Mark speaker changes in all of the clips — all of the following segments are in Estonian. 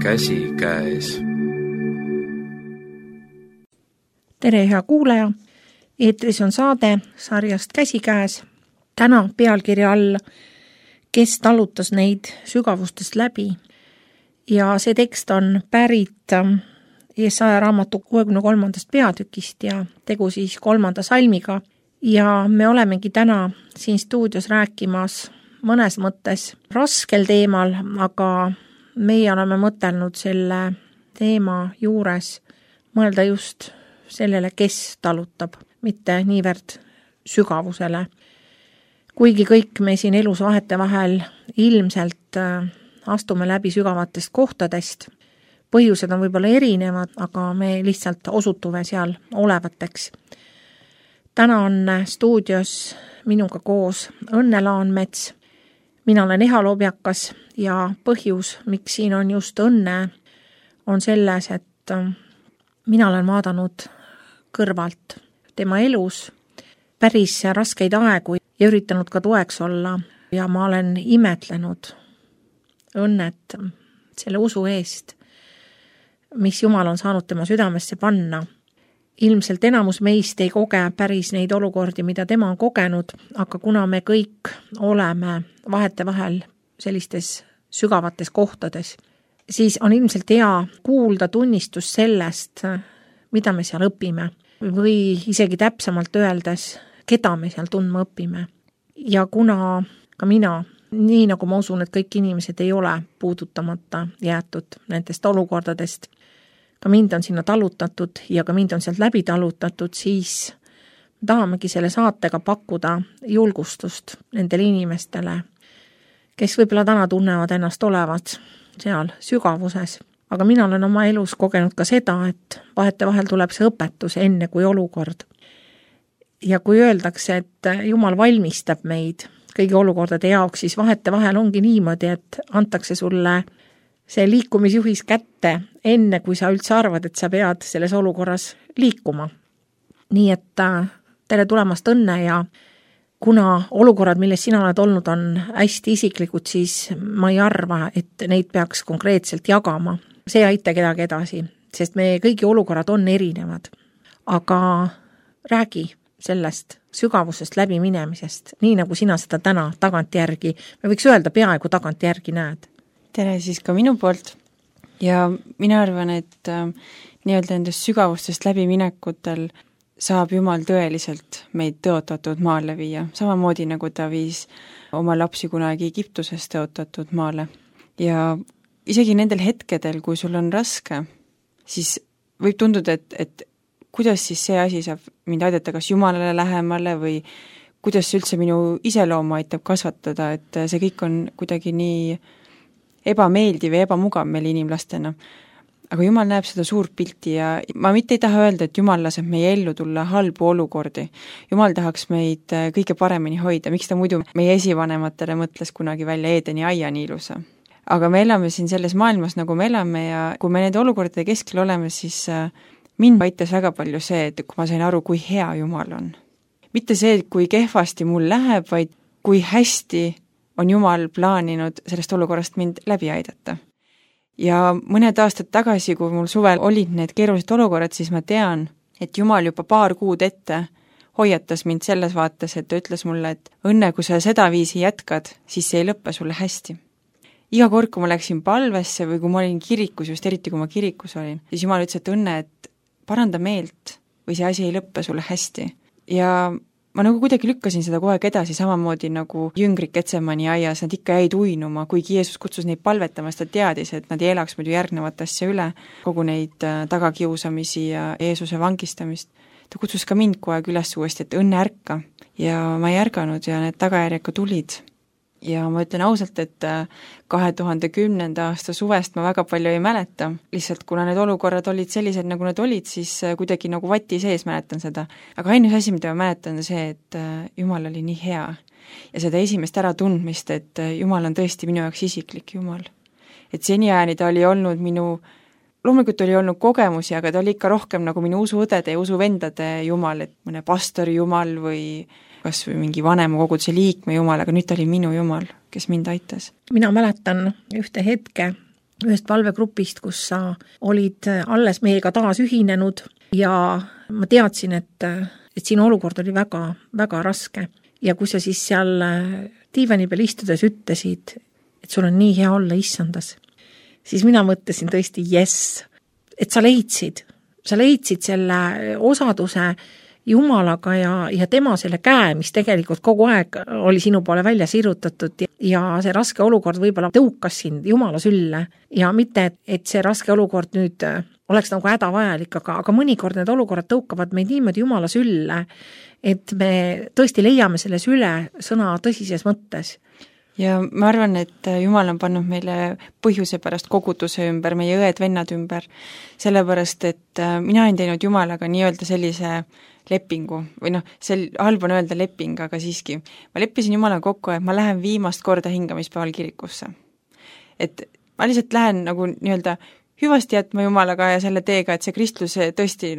Speaker 1: Käsikäes.
Speaker 2: Tere, hea kuulaja! Eetris on saade sarjast Käsikäes. Täna pealkirja all Kes talutas neid sügavustest läbi. Ja see tekst on pärit Jesaja raamatu 63. peatükist ja tegu siis 3. salmiga. Ja me olemegi täna siin stuudios rääkimas mõnes mõttes raskel teemal, aga meie oleme mõtelnud selle teema juures mõelda just sellele, kes talutab, mitte niivõrd sügavusele. Kuigi kõik me siin elus vahetevahel ilmselt astume läbi sügavatest kohtadest, põhjused on võib-olla erinevad, aga me lihtsalt osutume seal olevateks. Täna on stuudios minuga koos Õnne Laanmets. Mina olen Eha Lobjakas ja põhjus, miks siin on just Õnne, on selles, et mina olen vaadanud kõrvalt tema elus päris raskeid aegu ja üritanud ka toeks olla ja ma olen imetlenud Õnnet selle usu eest, mis Jumal on saanud tema südamesse panna. Ilmselt enamus meist ei koge päris neid olukordi, mida tema on kogenud, aga kuna me kõik oleme vahetevahel sellistes sügavates kohtades, siis on ilmselt hea kuulda tunnistus sellest, mida me seal õpime või isegi täpsemalt öeldes, keda me seal tundma õpime. Ja kuna ka mina, nii nagu ma usun, et kõik inimesed ei ole puudutamata jäetud nendest olukordadest, ka mind on sinna talutatud ja ka mind on sealt läbi talutatud, siis tahamegi selle saatega pakkuda julgustust nendele inimestele, kes võib-olla täna tunnevad ennast olevat seal sügavuses. Aga mina olen oma elus kogenud ka seda, et vahetevahel tuleb see õpetus enne kui olukord. Ja kui öeldakse, et Jumal valmistab meid kõigi olukordade jaoks, siis vahetevahel ongi niimoodi, et antakse sulle see liikumisjuhis kätte enne, kui sa üldse arvad, et sa pead selles olukorras liikuma. Nii et tere tulemast Õnne ja kuna olukorrad, milles sina oled olnud, on hästi isiklikud, siis ma ei arva, et neid peaks konkreetselt jagama. See ei aita kedagi edasi, sest meie kõigi olukorrad on erinevad. Aga räägi sellest sügavusest läbi minemisest, nii nagu sina seda täna tagantjärgi, me võiks öelda peaaegu tagantjärgi näed.
Speaker 3: Tere siis ka minu poolt ja mina arvan, et nii-öelda endast sügavustest läbiminekutel saab Jumal tõeliselt meid tõotatud maale viia, samamoodi nagu ta viis oma lapsi kunagi Egiptusest tõotatud maale. Ja isegi nendel hetkedel, kui sul on raske, siis võib tunduda, et kuidas siis see asi saab mind aidata kas Jumalale lähemale või kuidas üldse minu iseloomu aitab kasvatada, et see kõik on kuidagi nii ebameeldiv ja ebamugav meil inimlastena. Aga Jumal näeb seda suurt pilti ja ma mitte ei taha öelda, et Jumal laseb meie ellu tulla halbu olukordi. Jumal tahaks meid kõige paremini hoida, miks ta muidu meie esivanematele mõtles kunagi välja Eedeni aia nii ilusa. Aga me elame siin selles maailmas, nagu me elame ja kui me nende olukordade keskel oleme, siis mind aitas väga palju see, et kui ma sain aru, kui hea Jumal on. Mitte see, kui kehvasti mul läheb, vaid kui hästi on Jumal plaaninud sellest olukorrast mind läbi aidata. Ja mõned aastad tagasi, kui mul suvel olid need keerulised olukorrad, siis ma tean, et Jumal juba 2 kuud ette hoiatas mind selles vaates, et ta ütles mulle, et Õnne, kui sa seda viisi jätkad, siis see ei lõppe sulle hästi. Iga kord, kui ma läksin palvesse või kui ma olin kirikus, just eriti kui ma kirikus olin, siis Jumal ütles, et Õnne, et paranda meelt või see asi ei lõppe sulle hästi. Ja ma nagu kuidagi lükkasin seda kogu aeg edasi, samamoodi nagu jüngrid Getsemani aias, nad ikka jäid uinuma, kuigi Jeesus kutsus neid palvetama, ta teadis, et nad ei elaks muidu järgnevat asja üle, kogu neid tagakiusamisi ja Jeesuse vangistamist. Ta kutsus ka mind kogu aeg üles uuesti, et Õnne ärka ja ma ei ärganud ja need tagajärjed ka tulid. Ja ma ütlen ausalt, et 2010. aasta suvest ma väga palju ei mäleta, lihtsalt kuna need olukorrad olid sellised, nagu nad olid, siis kuidagi nagu vati sees mäletan seda. Aga ainus asi, mida ma mäletan, on see, et Jumal oli nii hea ja seda esimest äratundmist, et Jumal on tõesti minu jaoks isiklik Jumal. Et seniajani ta oli olnud loomulikult oli olnud kogemusi, aga ta oli ikka rohkem nagu minu usuõdede ja usuvendade Jumal, et mõne pastori Jumal või kas või mingi vanema koguduse liikme Jumal, aga nüüd ta oli minu Jumal, kes mind aitas.
Speaker 2: Mina mäletan ühte hetke, ühest palvegrupist, kus sa olid alles meiega taas ühinenud ja ma teadsin, et sinu olukord oli väga, väga raske. Ja kui sa siis seal diivani peal istudes ütlesid, et sul on nii hea olla issandas, siis mina mõtlesin tõesti yes, et sa leidsid selle osaduse Jumalaga ja tema selle käe, mis tegelikult kogu aeg oli sinu poole välja sirutatud ja see raske olukord võib-olla tõukas sind Jumala sülle ja mitte, et see raske olukord nüüd oleks nagu hädavajalik, aga mõnikord need olukorrad tõukavad meid niimoodi Jumala sülle, et me tõesti leiame selle süle sõna tõsises mõttes.
Speaker 3: Ja ma arvan, et Jumal on pannud meile põhjuse pärast koguduse ümber, meie õed-vennad ümber, sellepärast, et mina olen teinud Jumalaga nii-öelda sellise lepingu või halb on öelda leping, aga siiski. Ma leppisin Jumalaga kokku, et ma lähen viimast korda hingamispäeval kirikusse. Et ma lihtsalt lähen nagu nii-öelda hüvasti jätma Jumalaga ja selle teega, et see kristlus tõesti,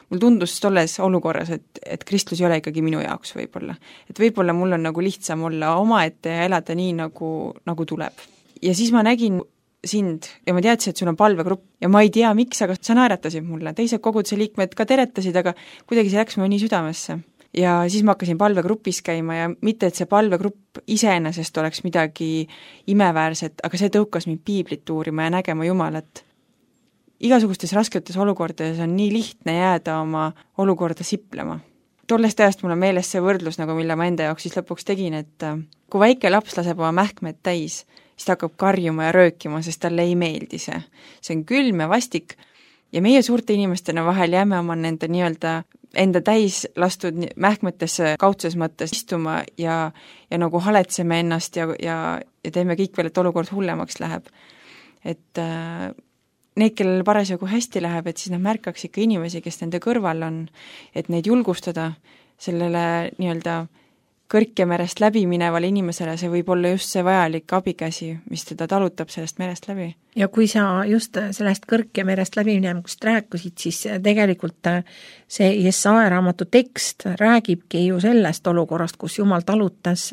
Speaker 3: mul tundus tolles olukorras, et kristlus ei ole ikkagi minu jaoks võib-olla. Et võib-olla mul on nagu lihtsam olla omaette ja elada nii, nagu tuleb. Ja siis ma nägin sind ja ma teadsin, et sul on palvegrupp ja ma ei tea, miks, aga sa naeratasid mulle. Teised koguduse liikmed ka teretasid, aga kuidagi see läks mulle nii südamesse. Ja siis ma hakkasin palvegrupis käima ja mitte, et see palvegrupp iseenesest oleks midagi imeväärset, aga see tõukas mind piiblit uurima ja nägema Jumalat. Igasugustes rasketes olukordades on nii lihtne jääda oma olukorda siplema. Tollest ajast mul on meeles see võrdlus, mille ma enda jaoks siis lõpuks tegin, et kui väike laps laseb oma mähkmed täis, siis ta hakkab karjuma ja röökima, sest talle ei meeldi see. See on külm ja vastik ja meie suurte inimestena vahel jääme oma nende nii-öelda enda täis lastud mähkmetesse kaudses mõttes istuma ja nagu haletseme ennast ja teeme kõik veel, et olukord hullemaks läheb. Et need, kellel parasjagu hästi läheb, et siis nad märkaks ikka inimesi, kes nende kõrval on, et neid julgustada sellele nii-öelda kõrkemerest läbi minevale inimesele, see võib olla just see vajalik abikäsi, mis teda talutab sellest merest läbi.
Speaker 2: Ja kui sa just sellest kõrkemerest läbi minemust rääkisid, siis tegelikult see Jesaja raamatu tekst räägibki ju sellest olukorrast, kus Jumal talutas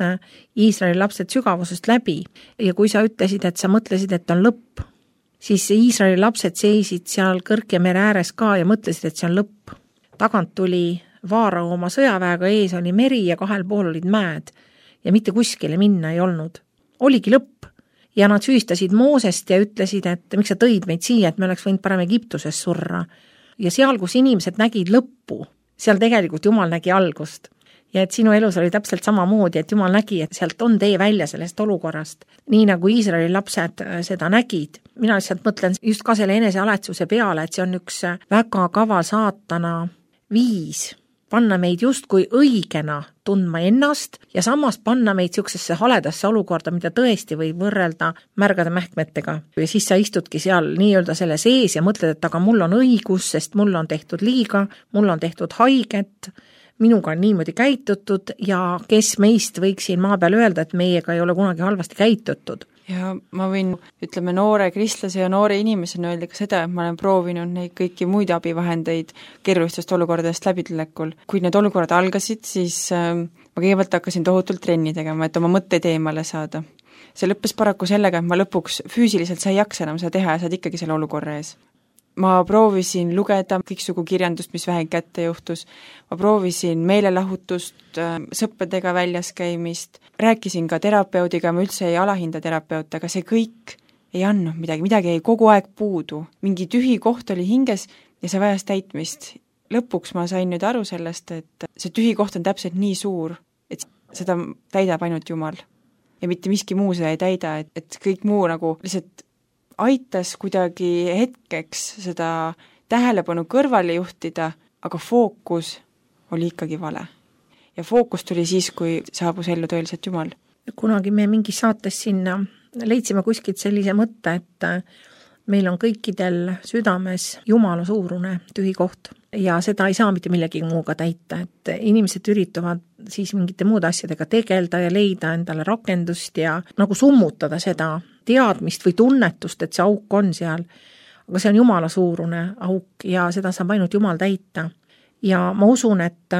Speaker 2: Iisraeli lapsed sügavusest läbi. Ja kui sa ütlesid, et sa mõtlesid, et on lõpp, siis Iisraeli lapsed seisid seal kõrkemere ääres ka ja mõtlesid, et see on lõpp. Tagant tuli Vaarao oma sõjaväega, ees oli meri ja kahel pool olid mäed ja mitte kuskile minna ei olnud. Oligi lõpp ja nad süüstasid Moosest ja ütlesid, et miks sa tõid meid siia, et me oleks võinud parem Egiptuses surra. Ja seal, kus inimesed nägid lõppu, seal tegelikult Jumal nägi algust. Ja et sinu elus oli täpselt samamoodi, et Jumal nägi, et sealt on tee välja sellest olukorrast. Nii nagu Iisraeli lapsed seda nägid. Mina lihtsalt mõtlen just ka selle enesealetsuse peale, et see on üks väga kaval saatana viis panna meid justkui õigena tundma ennast ja samas panna meid siuksesse haledasse olukorda, mida tõesti võib võrrelda märgade mähkmetega. Ja siis sa istudki seal nii-öelda selle sees ja mõtled, et aga mul on õigus, sest mul on tehtud liiga, mul on tehtud haiget, minuga on niimoodi käitutud ja kes meist võiks siin maa peal öelda, et meiega ei ole kunagi halvasti käitutud.
Speaker 3: Ja ma võin, noore kristlase ja noore inimesena öelda ka seda, et ma olen proovinud neid kõiki muid abivahendeid keerulistest olukordadest läbitulekul. Kui need olukorrad algasid, siis ma kõigepealt hakkasin tohutult trenni tegema, et oma mõtteid eemale saada. See lõppes paraku sellega, et ma lõpuks füüsiliselt sa ei jaksa enam seda teha ja saad ikkagi selle olukorra ees. Ma proovisin lugeda kõiksugu kirjandust, mis vähe kätte juhtus. Ma proovisin meelelahutust, sõppedega väljas käimist, rääkisin ka terapeudiga, ma üldse ei alahinda terapeut, aga see kõik ei andnud midagi jäi kogu aeg puudu. Mingi tühi koht oli hinges ja see vajas täitmist. Lõpuks ma sain nüüd aru sellest, et see tühi koht on täpselt nii suur, et seda täidab ainult Jumal. Ja mitte miski muu seda ei täida, et kõik muu nagu lihtsalt aitas kuidagi hetkeks seda tähelepanu kõrvale juhtida, aga fookus oli ikkagi vale. Ja fookus tuli siis, kui saabus ellu tõeliselt Jumal.
Speaker 2: Kunagi me mingis saates sinna leidsime kuskilt sellise mõtte, et meil on kõikidel südames Jumala suurune tühi koht ja seda ei saa mitte millegi muuga täita, et inimesed üritavad siis mingite muude asjadega tegelda ja leida endale rakendust ja nagu summutada seda teadmist või tunnetust, et see auk on seal, aga see on Jumala suurune auk ja seda saab ainult Jumal täita. Ja ma usun, et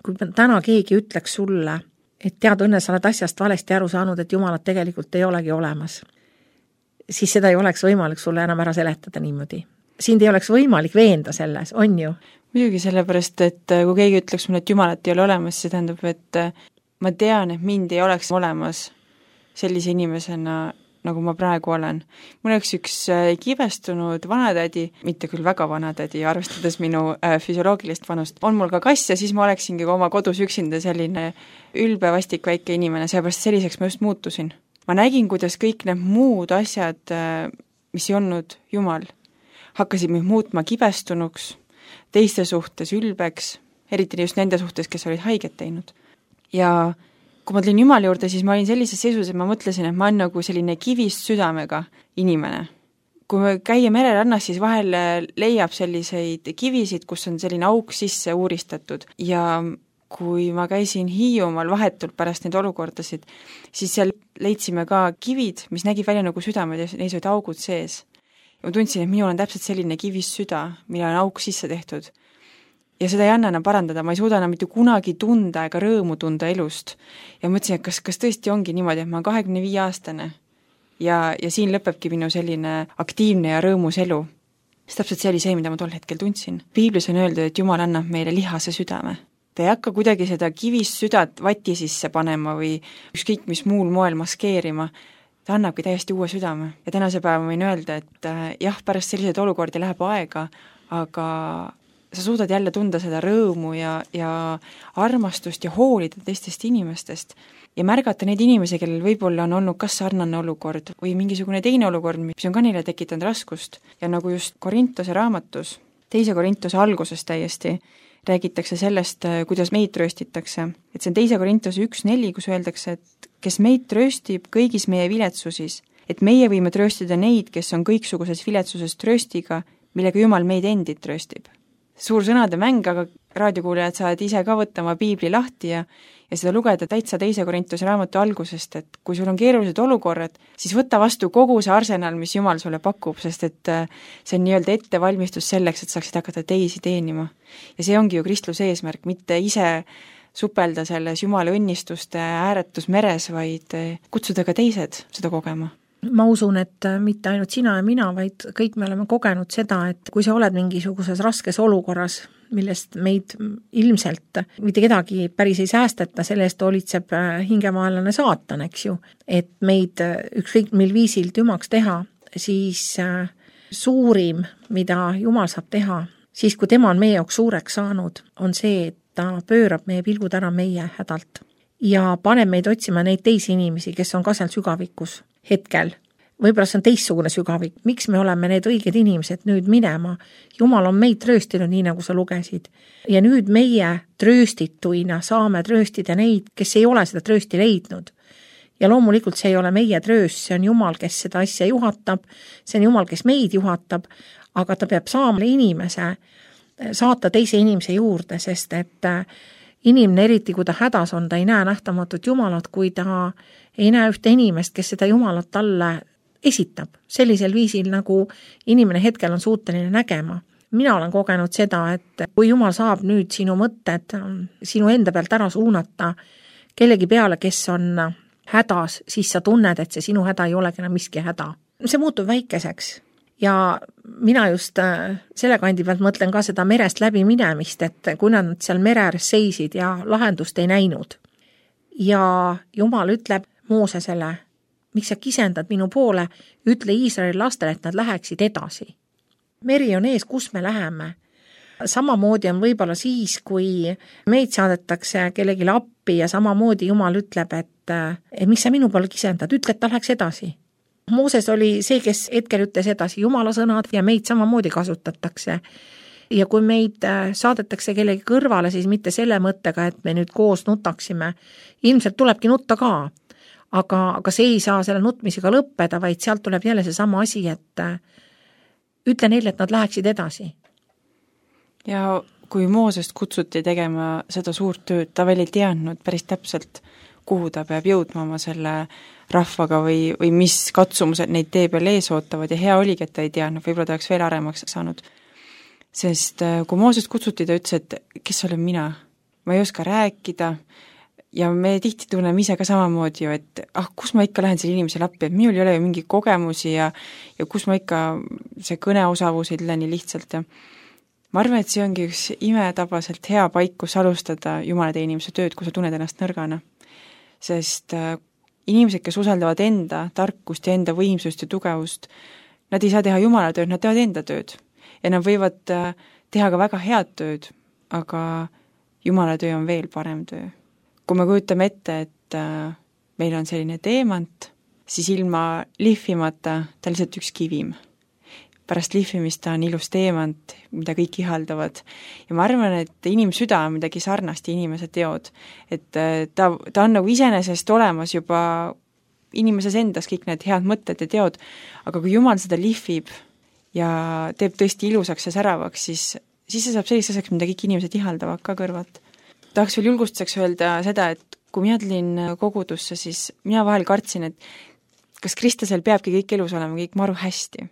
Speaker 2: kui täna keegi ütleks sulle, et tead õnne, sa oled asjast valesti aru saanud, et Jumalat tegelikult ei olegi olemas, siis seda ei oleks võimalik sulle enam ära seletada niimoodi. Sind ei oleks võimalik veenda selles, on ju?
Speaker 3: Muidugi sellepärast, et kui keegi ütleks mulle, et Jumalat ei ole olemas, see tähendab, et ma tean, et mind ei oleks olemas sellise inimesena, nagu ma praegu olen. Mul oleks üks kibestunud vanatädi, mitte küll väga vanatädi, arvestades minu füsioloogilist vanust, on mul ka kass ja siis ma oleksingi ka oma kodus üksinda selline ülbe vastik väike inimene, seepärast selliseks ma just muutusin. Ma nägin, kuidas kõik need muud asjad, mis ei olnud Jumal, hakkasid mind muutma kibestunuks, teiste suhtes ülbeks, eriti just nende suhtes, kes olid haiget teinud. Ja kui ma tulin Jumala juurde, siis ma olin sellises seisus, et ma mõtlesin, et ma olen nagu selline kivist südamega inimene. Kui me käia mererannas, siis vahel leiab selliseid kivisid, kus on selline auk sisse uuristatud ja kui ma käisin Hiiumaal vahetult pärast neid olukordasid, siis seal leidsime ka kivid, mis nägid välja nagu südamed ja neis olid augud sees. Ja ma tundsin, et minul on täpselt selline kivist süda, mille on auk sisse tehtud. Ja seda ei anna enam parandada, ma ei suuda enam mitte kunagi tunda ega rõõmu tunda elust. Ja mõtlesin, et kas tõesti ongi niimoodi, et ma olen 25-aastane ja siin lõpebki minu selline aktiivne ja rõõmus elu. Sest täpselt see oli see, mida ma tol hetkel tundsin. Piiblis on öeldud, et Jumal annab meile lihase südame. Ta ei hakka kuidagi seda kivist südat vati sisse panema või ükskõik mis muul moel maskeerima. Ta annabki täiesti uue südame. Ja tänase päeva võin öelda, et jah, pärast selliseid olukordi läheb aega, aga sa suudad jälle tunda seda rõõmu ja armastust ja hoolida teistest inimestest ja märgata neid inimesi, kellel võib-olla on olnud kas sarnane olukord või mingisugune teine olukord, mis on ka neile tekitanud raskust. Ja nagu just Korintuse raamatus, 2. Korintuse alguses täiesti, räägitakse sellest, kuidas meid trööstitakse. Et see on 2. Korintuse 1.4, kus öeldakse, et kes meid trööstib kõigis meie viletsusis, et meie võime trööstida neid, kes on kõiksuguses viletsuses trööstiga, millega Jumal meid endid trööstib. Suur sõnade mäng, aga raadiokuulajad saavad ise ka võtta oma piibli lahti ja seda lugeda täitsa 2. Korintuse raamatu algusest, et kui sul on keerulised olukorrad, siis võta vastu kogu see arsenal, mis Jumal sulle pakub, sest et see on nii-öelda ettevalmistus selleks, et saaksid hakata teisi teenima. Ja see ongi ju kristluse eesmärk, mitte ise supelda selles Jumala õnnistuste ääretus meres, vaid kutsuda ka teised seda kogema.
Speaker 2: Ma usun, et mitte ainult sina ja mina, vaid kõik me oleme kogenud seda, et kui sa oled mingisuguses raskes olukorras, millest meid ilmselt mitte kedagi päris ei säästeta, selle eest hoolitseb hingemaelane saatan, eks ju, et meid ükskõik mil viisil tümaks teha, siis suurim, mida Jumal saab teha, siis kui tema on meie jaoks suureks saanud, on see, et ta pöörab meie pilgud ära meie hädalt ja paneb meid otsima neid teisi inimesi, kes on ka seal sügavikus hetkel. Võib-olla see on teistsugune sügavik. Miks me oleme need õiged inimesed nüüd minema? Jumal on meid trööstinud, nii nagu sa lugesid. Ja nüüd meie trööstituina saame trööstida neid, kes ei ole seda tröösti leidnud. Ja loomulikult see ei ole meie trööst, see on Jumal, kes seda asja juhatab, see on Jumal, kes meid juhatab, aga ta peab saama inimese, saata teise inimese juurde, sest et inimene, eriti kui ta hädas on, ta ei näe nähtamatut Jumalat, kui ta ei näe ühte inimest, kes seda Jumalat talle esitab sellisel viisil, nagu inimene hetkel on suuteline nägema. Mina olen kogenud seda, et kui Jumal saab nüüd sinu mõtted sinu enda pealt ära suunata kellegi peale, kes on hädas, siis sa tunned, et see sinu häda ei olegi enam miski häda. See muutub väikeseks. Ja mina just selle kandi pealt mõtlen ka seda merest läbi minemist, et kui nad seal mere ääres seisid ja lahendust ei näinud. Ja Jumal ütleb Moosesele, miks sa kisendad minu poole, ütle Iisraeli lastele, et nad läheksid edasi. Meri on ees, kus me läheme. Samamoodi on võib-olla siis, kui meid saadetakse kellelegi appi ja samamoodi Jumal ütleb, et miks sa minu poole kisendad, ütle, et ta läheks edasi. Mooses oli see, kes hetkel ütles edasi Jumala sõnad ja meid samamoodi kasutatakse. Ja kui meid saadetakse kellegi kõrvale, siis mitte selle mõttega, et me nüüd koos nutaksime. Ilmselt tulebki nutta ka, aga see ei saa selle nutmisega lõppeda, vaid sealt tuleb jälle see sama asi, et ütle neile, et nad läheksid edasi.
Speaker 3: Ja kui Moosest kutsuti tegema seda suurt tööd, ta veel ei teadnud päris täpselt, kuhu ta peab jõudma oma selle rahvaga või mis katsumused neid tee peal ees ootavad ja hea oligi, et ta ei teadnud, võib-olla ta oleks veel aremaks saanud. Sest kui Moosest kutsuti, ta ütles, et kes olen mina? Ma ei oska rääkida, ja me tihti tunneme ise ka samamoodi ju, et kus ma ikka lähen selle inimesele appi, et minul ei ole ju mingi kogemusi ja kus ma ikka see kõneosavus ei tule nii lihtsalt ja ma arvan, et see ongi üks imetabaselt hea paik, kus alustada Jumala teenimise tööd, kui sa tunned ennast nõrgana. Sest inimesed, kes usaldavad enda tarkust ja enda võimsust ja tugevust, nad ei saa teha Jumala tööd, nad teevad enda tööd. Ja nad võivad teha ka väga head tööd, aga Jumala töö on veel parem töö. Kui me kujutame ette, et meil on selline teemant, siis ilma lihvimata ta lihtsalt üks kivim. Pärast lihvimist ta on ilus teemant, mida kõik ihaldavad. Ja ma arvan, et inimsüda on midagi sarnast inimese teod. Et ta on nagu iseenesest olemas juba inimeses endas kõik need head mõtted ja teod, aga kui Jumal seda lihvib ja teeb tõesti ilusaks ja säravaks, siis see saab selliseks asjaks, mida kõik inimesed ihaldavad ka kõrvalt. Tahaks veel julgustuseks öelda seda, et kui mina tulin kogudusse, siis mina vahel kartsin, et kas kristlasel peabki kõik elus olema kõik maru hästi.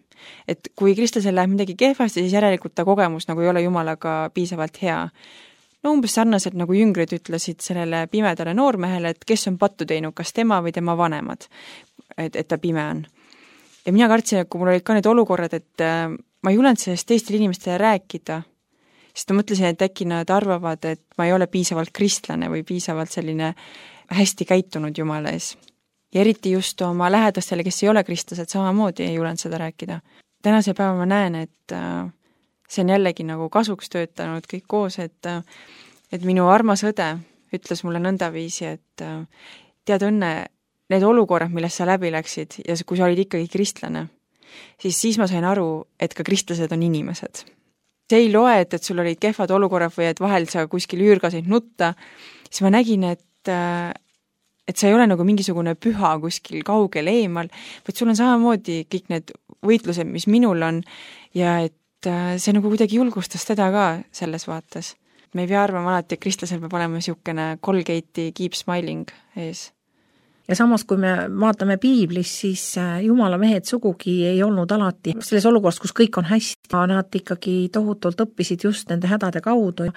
Speaker 3: Et kui kristlasel läheb midagi kehvasti, siis järelikult ta kogemus nagu ei ole Jumalaga piisavalt hea. No umbes sarnaselt nagu jüngrid ütlesid sellele pimedale noormehele, et kes on pattu teinud, kas tema või tema vanemad, et ta pime on. Ja mina kartsin, et kui mul olid ka need olukorrad, et ma ei julenud sellest teistele inimestele rääkida, sest ma mõtlesin, et äkki nad arvavad, et ma ei ole piisavalt kristlane või piisavalt selline hästi käitunud Jumala ees. Ja eriti just oma lähedastele, kes ei ole kristlased, samamoodi ei julenud seda rääkida. Tänase päeva ma näen, et see on jällegi nagu kasuks töötanud kõik koos, et minu armas õde ütles mulle nõndaviisi, et tead õnne, need olukorrad, millest sa läbi läksid ja kui sa olid ikkagi kristlane, siis ma sain aru, et ka kristlased on inimesed. See ei loe, et sul olid kehvad olukorrad või et vahel sa kuskil üürgasid nutta, siis ma nägin, et sa ei ole nagu mingisugune püha kuskil kaugel eemal, vaid sul on samamoodi kõik need võitlused, mis minul on ja et see nagu kuidagi julgustas teda ka selles vaates. Me ei pea arvama alati, et kristlasel peab olema niisugune Colgate'i keep smiling ees.
Speaker 2: Ja samas, kui me vaatame piiblis, siis Jumala mehed sugugi ei olnud alati selles olukorras, kus kõik on hästi. Nad ikkagi tohutult õppisid just nende hädade kaudu.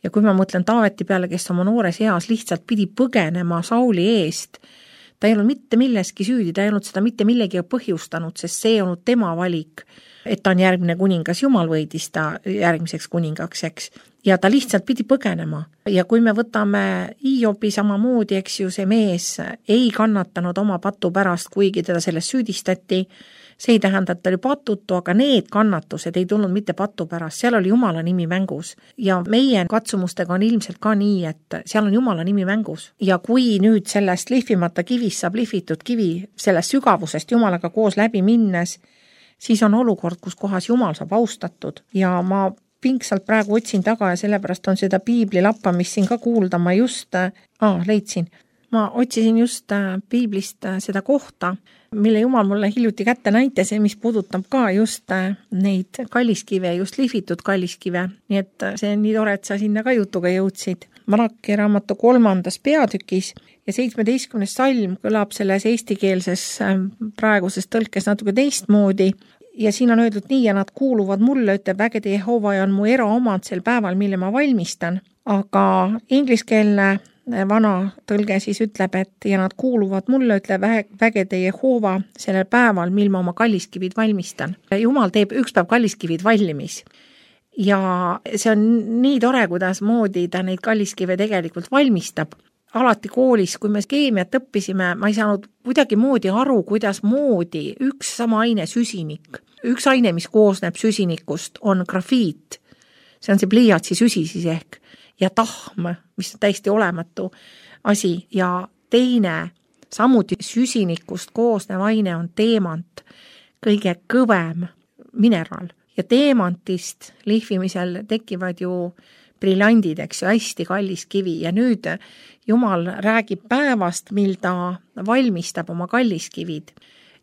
Speaker 2: Ja kui ma mõtlen Taaveti peale, kes oma noores eas lihtsalt pidi põgenema Sauli eest, ta ei olnud mitte milleski süüdi, ta ei olnud seda mitte millegi põhjustanud, sest see ei olnud tema valik, et ta on järgmine kuningas, Jumal võidis ta järgmiseks kuningaks, eks. Ja ta lihtsalt pidi põgenema. Ja kui me võtame Hiobi samamoodi, eks ju, see mees ei kannatanud oma patu pärast, kuigi teda sellest süüdistati, see ei tähenda, et ta oli patutu, aga need kannatused ei tulnud mitte patu pärast, seal oli Jumala nimi mängus. Ja meie katsumustega on ilmselt ka nii, et seal on Jumala nimi mängus. Ja kui nüüd sellest lihvimata kivist saab lihvitud kivi sellest sügavusest Jumalaga koos läbi minnes, siis on olukord, kus kohas Jumal saab austatud. Ja ma pingsalt praegu otsin taga ja sellepärast on seda piiblilappa, mis siin ka kuulda, ma just leidsin. Ma otsisin just piiblist seda kohta, mille Jumal mulle hiljuti kätte näitas ja mis puudutab ka just neid kalliskive, just lihvitud kalliskive. Nii et see on nii tore, et sa sinna ka jutuga jõudsid. Malaki raamatu 3. peatükis ja 17. salm kõlab selles eestikeelses praeguses tõlkes natuke teistmoodi. Ja siin on öeldud nii, ja nad kuuluvad mulle, ütleb vägede Jehova ja on mu eraomand sel päeval, mille ma valmistan. Aga ingliskeelne vana tõlge siis ütleb, et ja nad kuuluvad mulle, ütleb vägede Jehova sellel päeval, mil ma oma kalliskivid valmistan. Jumal teeb üks päev kalliskivid valmis. Ja see on nii tore, kuidas moodi ta neid kalliskive tegelikult valmistab. Alati koolis, kui me keemiat õppisime, ma ei saanud kuidagi moodi aru, kuidas moodi üks sama aine süsinik. Üks aine, mis koosneb süsinikust, on grafiit. See on see pliiatsi süsi siis ehk. Ja tahm, mis on täiesti olematu asi. Ja teine, samuti süsinikust koosnev aine on teemant, kõige kõvem mineral. Ja teemantist lihvimisel tekivad ju briljandid, eks ju, hästi kallis kivi ja nüüd Jumal räägib päevast, mil ta valmistab oma kalliskivid.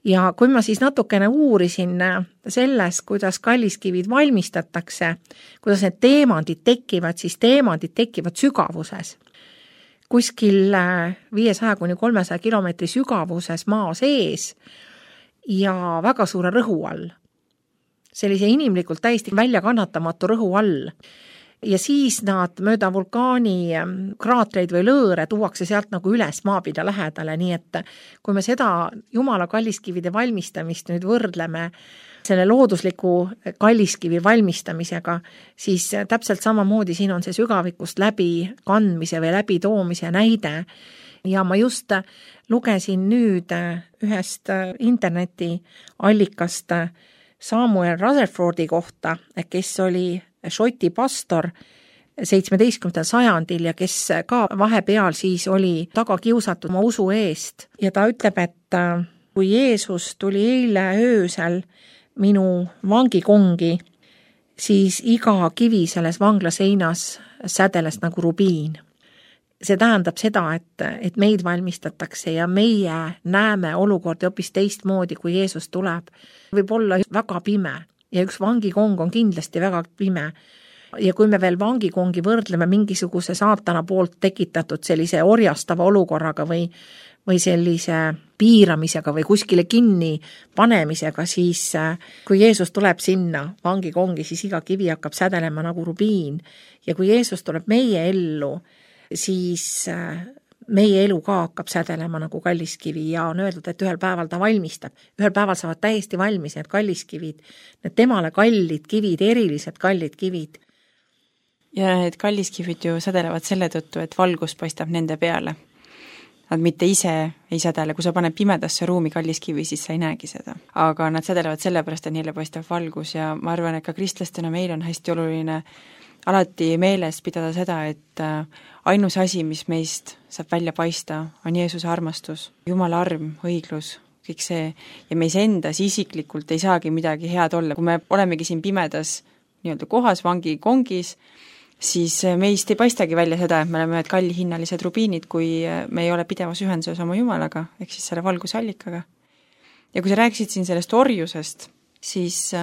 Speaker 2: Ja kui ma siis natukene uurisin selles, kuidas kalliskivid valmistatakse, kuidas need teemandid tekivad, siis teemandid tekivad sügavuses. Kuskil 500–300 kilomeetri sügavuses maa sees ja väga suure rõhu all. Sellise inimlikult täiesti väljakannatamatu rõhu all. ja siis nad mööda vulkaani kraatreid või lõõre tuuakse sealt nagu üles maapinda lähedale, nii et kui me seda Jumala kalliskivide valmistamist nüüd võrdleme selle loodusliku kalliskivi valmistamisega, siis täpselt samamoodi siin on see sügavikust läbi kandmise või läbi toomise näide. Ja ma just lugesin nüüd ühest internetiallikast Samuel Rutherfordi kohta, kes oli Šoti pastor 17. sajandil ja kes ka vahepeal siis oli taga kiusatud oma usu eest. Ja ta ütleb, et kui Jeesus tuli eile öösel minu vangikongi, siis iga kivi selles vangla seinas sädeles nagu rubiin. See tähendab seda, et meid valmistatakse ja meie näeme olukordi hoopis teistmoodi, kui Jeesus tuleb. Võib olla väga pime ja üks vangikong on kindlasti väga pime. Ja kui me veel vangikongi võrdleme mingisuguse saatana poolt tekitatud sellise orjastava olukorraga või sellise piiramisega või kuskile kinni panemisega, siis kui Jeesus tuleb sinna vangikongi, siis iga kivi hakkab sädelema nagu rubiin. Ja kui Jeesus tuleb meie ellu, siis meie elu ka hakkab sädelema nagu kalliskivi ja on öeldud, et ühel päeval ta valmistab. Ühel päeval saavad täiesti valmis need kalliskivid, need temale kallid kivid, erilised kallid kivid.
Speaker 3: Ja need kalliskivid ju sädelevad selle tõttu, et valgus paistab nende peale. Nad mitte ise ei sädele, kui sa paned pimedasse ruumi kalliskivi, siis sa ei näegi seda. Aga nad sädelevad sellepärast, et neile paistab valgus ja ma arvan, et ka kristlastena meil on hästi oluline alati meeles pidada seda, et ainus asi, mis meist saab välja paista, on Jeesuse armastus, Jumala arm, õiglus, kõik see. Ja meis endas isiklikult ei saagi midagi head olla. Kui me olemegi siin pimedas nii-öelda kohas, vangikongis, siis meist ei paistagi välja seda, et me oleme kallihinnalised rubiinid, kui me ei ole pidevas ühenduses oma Jumalaga, ehk siis selle valgusallikaga. Ja kui sa rääkisid siin sellest orjusest, siis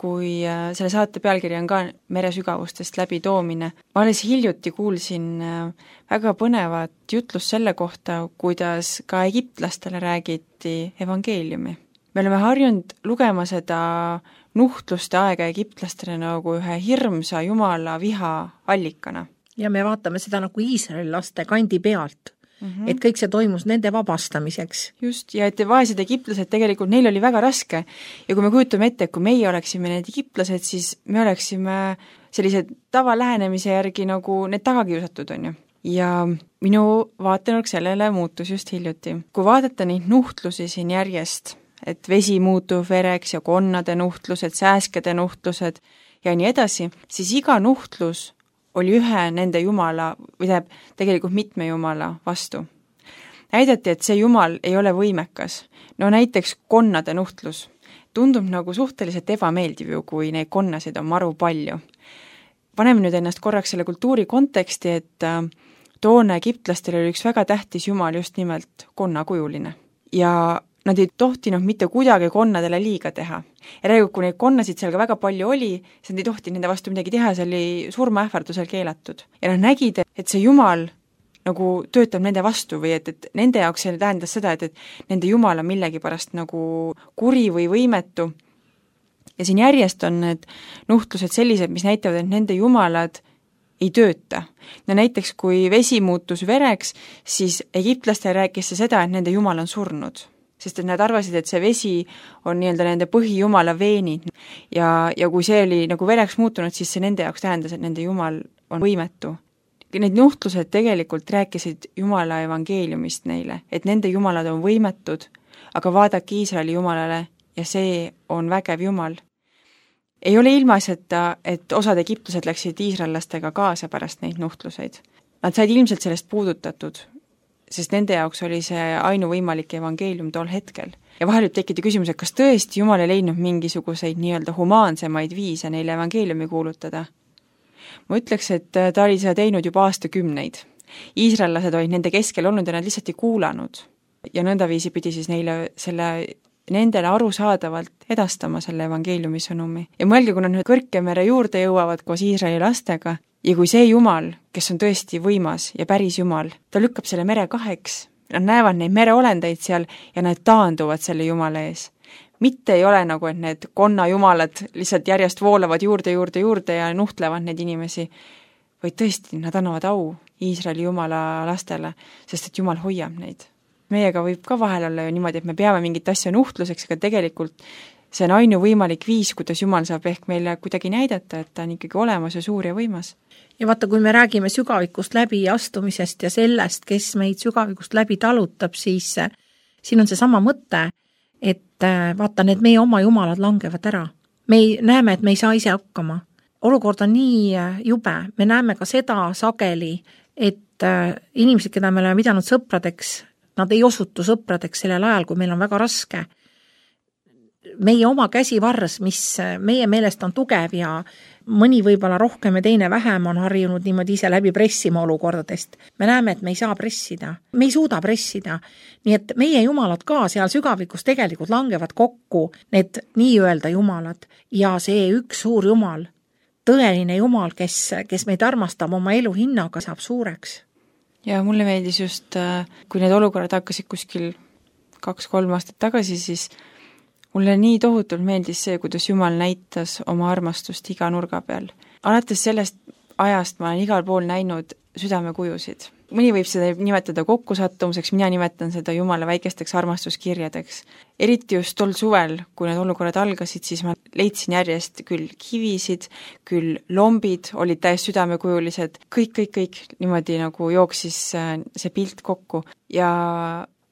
Speaker 3: kui selle saate pealkiri on ka meresügavustest läbi toomine, ma alles hiljuti kuulsin väga põnevat jutlust selle kohta, kuidas ka egiptlastele räägiti evangeeliumi. Me oleme harjunud lugema seda nuhtluste aega egiptlastele nagu ühe hirmsa Jumala viha allikana.
Speaker 2: Ja me vaatame seda nagu Iisraeli laste kandi pealt, et kõik see toimus nende vabastamiseks.
Speaker 3: Just, ja et vaesed egiptlased tegelikult, neil oli väga raske. Ja kui me kujutame ette, kui meie oleksime need egiptlased, siis me oleksime sellised tavalähenemise järgi nagu need tagakiusatud, on ju. Ja minu vaatenurk sellele muutus just hiljuti. Kui vaadata neid nuhtlusi siin järjest, et vesi muutub vereks ja konnade nuhtlused, sääskede nuhtlused ja nii edasi, siis iga nuhtlus oli ühe nende Jumala, või tegelikult mitme Jumala vastu. Näidati, et see Jumal ei ole võimekas. No näiteks konnade nuhtlus tundub nagu suhteliselt ebameeldiv ju, kui neid konnasid on maru palju. Paneme nüüd ennast korraks selle kultuuri konteksti, et toona egiptlastel oli üks väga tähtis Jumal just nimelt konnakujuline. Ja nad ei tohtinud mitte kuidagi konnadele liiga teha. Ja räägib, kui neid konnasid seal ka väga palju oli, siis nad ei tohti nende vastu midagi teha, see oli surmaähvardusel keelatud. Ja nad nägid, et see Jumal nagu töötab nende vastu või et nende jaoks see tähendas seda, et nende Jumal on millegi pärast nagu kuri või võimetu. Ja siin järjest on need nuhtlused sellised, mis näitavad, et nende Jumalad ei tööta. No näiteks, kui vesi muutus vereks, siis egiptlaste rääkis see seda, et nende Jumal on surnud. Sest et nad arvasid, et see vesi on nii-öelda nende põhijumala veenid ja kui see oli nagu vereks muutunud, siis see nende jaoks tähendas, et nende Jumal on võimetu. Need nuhtlused tegelikult rääkisid Jumala evangeeliumist neile, et nende Jumalad on võimetud, aga vaadake Iisraeli Jumalale ja see on vägev Jumal. Ei ole ilmaasjata, et osad egiptlased läksid iisraellastega kaasa pärast neid nuhtluseid. Nad said ilmselt sellest puudutatud, sest nende jaoks oli see ainuvõimalik evangeelium tol hetkel. Ja vahel võib tekkida küsimus, et kas tõesti Jumal ei leidnud mingisuguseid nii-öelda humaansemaid viise neile evangeeliumi kuulutada? Ma ütleks, et ta oli seda teinud juba aastakümneid. Iisraellased olid nende keskel olnud ja nad lihtsalt ei kuulanud. Ja nõndaviisi pidi siis nendele arusaadavalt edastama selle evangeeliumi sõnumi. Ja mõelge, kui nad nüüd Kõrkemere juurde jõuavad koos Iisraeli lastega, ja kui see Jumal, kes on tõesti võimas ja päris Jumal, ta lükkab selle mere kaheks, nad näevad neid mereolendeid seal ja nad taanduvad selle Jumala ees. mitte ei ole nagu, et need konnajumalad lihtsalt järjest voolavad juurde ja nuhtlevad neid inimesi, vaid tõesti, nad annavad au Iisraeli jumala lastele, sest et jumal hoiab neid. Meiega võib ka vahel olla ju niimoodi, et me peame mingit asja nuhtluseks, aga tegelikult see on ainuvõimalik viis, kuidas jumal saab ehk meile kuidagi näidata, et ta on ikkagi olemas ja suur ja võimas.
Speaker 2: Ja vaata, kui me räägime sügavikust läbi astumisest ja sellest, kes meid sügavikust läbi talutab, siis siin on see sama mõte, et vaata, need meie oma jumalad langevad ära. Me näeme, et me ei saa ise hakkama. Olukord on nii jube. Me näeme ka seda sageli, et inimesed, keda me oleme pidanud sõpradeks, nad ei osutu sõpradeks sellel ajal, kui meil on väga raske. Meie oma käsivarrs, mis meie meelest on tugev ja mõni võib-olla rohkem ja teine vähem on harjunud niimoodi ise läbi pressima olukordadest. Me näeme, et me ei saa pressida. Me ei suuda pressida. Nii et meie jumalad ka seal sügavikus tegelikult langevad kokku, need nii-öelda jumalad. Ja see üks suur jumal, tõeline jumal, kes meid armastab oma elu hinnaga, saab suureks.
Speaker 3: Ja mulle meeldis just, kui need olukorrad hakkasid kuskil 2-3 aastat tagasi, siis mulle nii tohutult meeldis see, kuidas Jumal näitas oma armastust iga nurga peal. Alates sellest ajast ma olen igal pool näinud südamekujusid. Mõni võib seda nimetada kokkusattumuseks, mina nimetan seda Jumala väikesteks armastuskirjadeks. Eriti just tol suvel, kui need olukorrad algasid, siis ma leidsin järjest küll kivisid, küll lombid olid täiesti südamekujulised, kõik niimoodi nagu jooksis see pilt kokku. Ja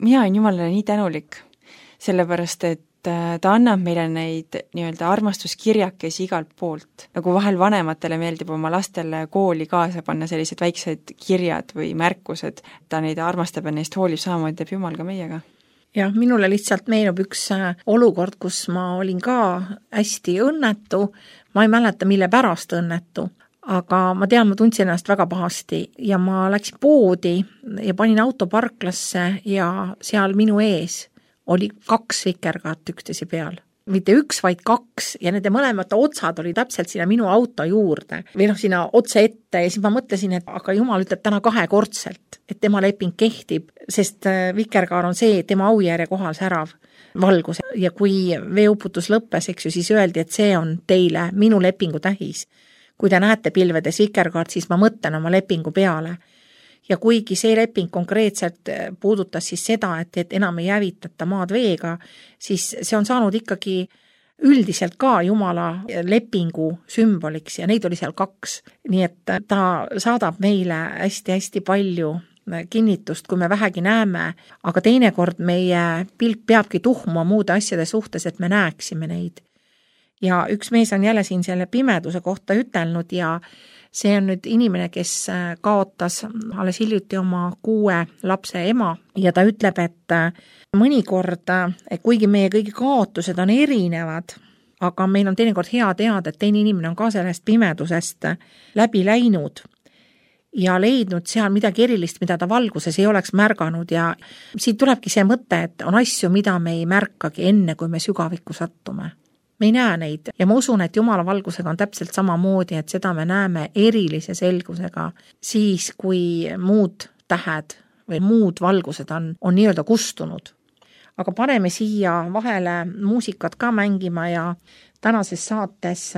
Speaker 3: mina olen Jumalale nii tänulik, sellepärast et ta annab meile neid nii-öelda armastuskirjakesi igalt poolt. Nagu vahel vanematele meeldib oma lastele kooli kaasa panna sellised väiksed kirjad või märkused. Ta neid armastab ja neist hoolib, samamoodi teeb Jumal ka meiega.
Speaker 2: Ja minule lihtsalt meenub üks olukord, kus ma olin ka hästi õnnetu. Ma ei mäleta, mille pärast õnnetu. Aga ma tean, ma tundsin ennast väga pahasti ja ma läksin poodi ja panin auto parklasse ja seal minu ees oli 2 vikerkaart üksteise peal. Mitte 1, vaid 2 ja nende mõlemad otsad oli täpselt sinna minu auto juurde või sinna otse ette ja siis ma mõtlesin, et aga Jumal ütleb täna 2-kordselt, et tema leping kehtib, sest vikerkaar on see tema aujärje kohal särav valgus ja kui veeuputus lõppes, eks ju, siis öeldi, et see on teile minu lepingu tähis. Kui te näete pilvedes vikerkaart, siis ma mõtlen oma lepingu peale. Ja kuigi see leping konkreetselt puudutas siis seda, et enam ei hävitata maad veega, siis see on saanud ikkagi üldiselt ka Jumala lepingu sümboliks ja neid oli seal 2. Nii et ta saadab meile hästi-hästi palju kinnitust, kui me vähegi näeme, aga teinekord meie pilk peabki tuhmuma muude asjade suhtes, et me näeksime neid. Ja üks mees on jälle siin selle pimeduse kohta ütelnud ja see on nüüd inimene, kes kaotas alles hiljuti oma 6 lapse ema ja ta ütleb, et mõnikord, kuigi meie kõigi kaotused on erinevad, aga meil on teinekord hea teada, et teine inimene on ka sellest pimedusest läbi läinud ja leidnud seal midagi erilist, mida ta valguses ei oleks märganud ja siit tulebki see mõte, et on asju, mida me ei märkagi enne, kui me sügavikku sattume. Me ei näe neid ja ma usun, et Jumala valgusega on täpselt samamoodi, et seda me näeme erilise selgusega siis, kui muud tähed või muud valgused on nii-öelda kustunud. Aga paneme siia vahele muusikat ka mängima ja tänases saates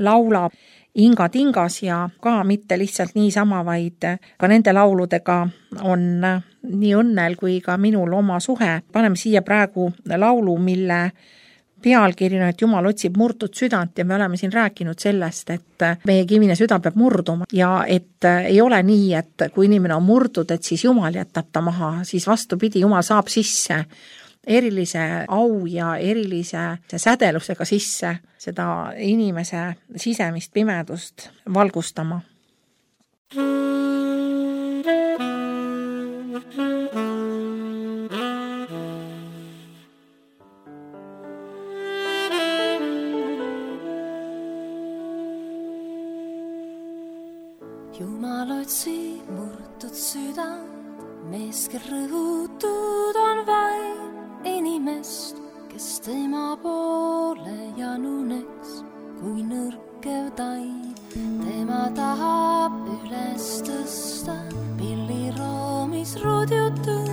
Speaker 2: laulab Inga Tingas ja ka mitte lihtsalt niisama, vaid ka nende lauludega on nii õnnel kui ka minul oma suhe. Paneme siia praegu laulu, mille pealkirjana, et Jumal otsib murtud südant ja me oleme siin rääkinud sellest, et meie kivine süda peab murduma ja et ei ole nii, et kui inimene on murdud, et siis Jumal jätab ta maha, siis vastupidi, Jumal saab sisse erilise au ja erilise sädelusega sisse seda inimese sisemist pimedust valgustama.
Speaker 1: Jumal otsib murtud südant, mees, kel rõhutud on vaid inimest, kes tema poole januneks kui nõrkev taib. Tema tahab üles tõsta pilliroomis rudjutud,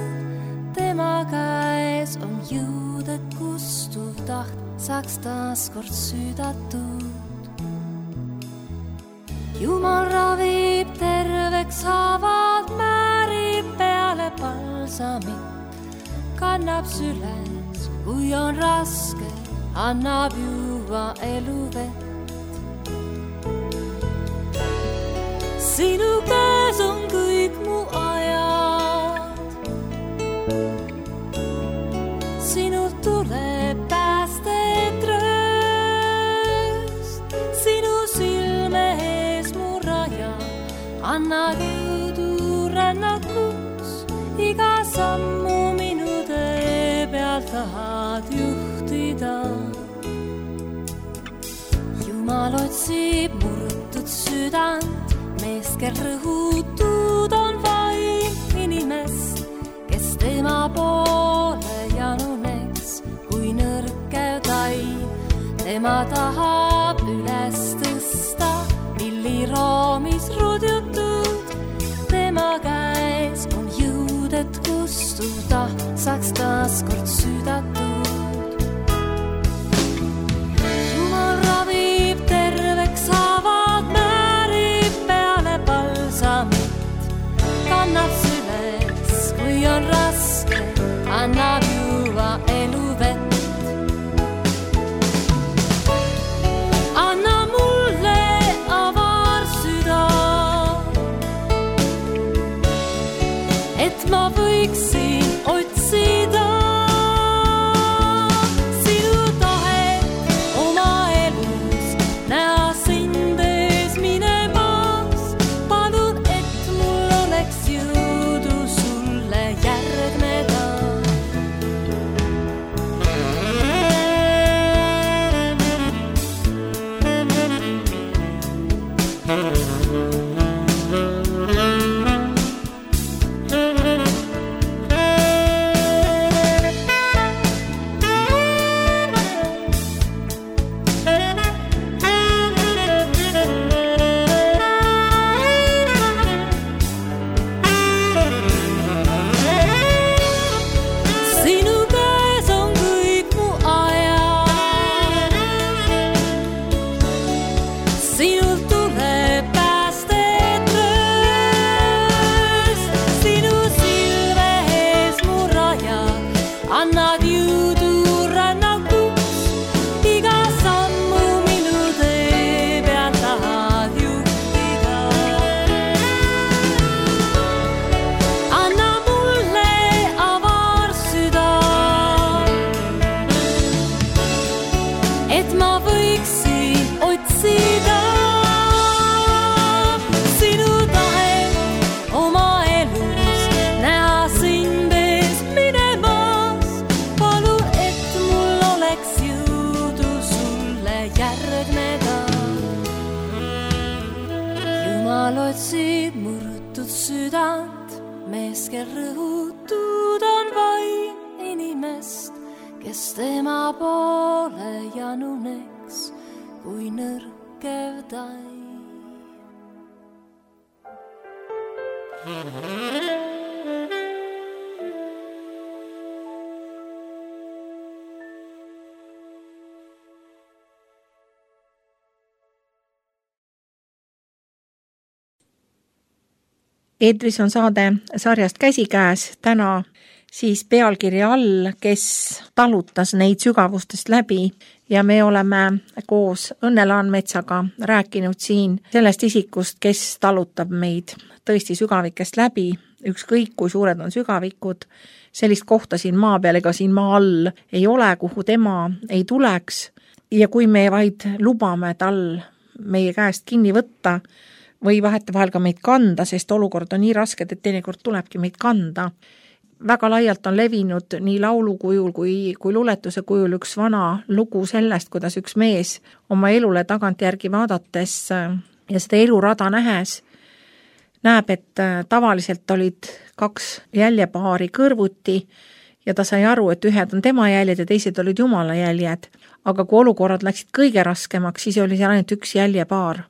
Speaker 1: tema käes on jõud jõud, et kustuv taht saaks taas kord süüdatud. Jumal ravib terveks haavad, määrib peale palsamit, kannab süles, kui on raske, annab juua eluvett. Sinu käes on kõik mu ajad, sinult tuleb päästet rööst, sinu silme ees mu raja, anna jõudu rännakuks, iga sammu minu tee peal tahad juhtida. Jumal otsib murtud südant, mees, kel rõhutud on vaim, inimest, kes tema poole januneks, kui nõrkev tai. Tema tahab üles tõsta, milliroomis rudjutud, tema käes on jõud, et kustuv taht saaks taas kord süüdatud. Jumal ravib terveks haavad, kannab süles, kui on raske, annab juua eluvett. Anna mulle avar süda, et ma võiksin otsida sinu tahet oma elus, näha sind ees minemas. Palun, et mul oleks jõudu sulle järgneda. Jumal otsib murtud südant, mees, kel rõhutud on vaim, inimest, kes tema poole januneks, kui nõrkev tai.
Speaker 2: Eetris on saade sarjast Käsikäes, täna siis pealkirja all, kes talutas neid sügavustest läbi, ja me oleme koos Õnne Laanmetsaga rääkinud siin sellest isikust, kes talutab meid tõesti sügavikest läbi, ükskõik kui suured on sügavikud. Sellist kohta siin maa peal ega siin maa all ei ole, kuhu tema ei tuleks, ja kui me vaid lubame tal meie käest kinni võtta või vahetevahel ka meid kanda, sest olukord on nii rasked, et teinekord tulebki meid kanda. Väga laialt on levinud nii laulu kujul kui luuletuse kujul üks vana lugu sellest, kuidas üks mees oma elule tagantjärgi vaadates ja seda elurada nähes näeb, et tavaliselt olid 2 jäljepaari kõrvuti ja ta sai aru, et ühed on tema jäljed ja teised olid Jumala jäljed. Aga kui olukorrad läksid kõige raskemaks, siis oli seal ainult 1 jäljepaar.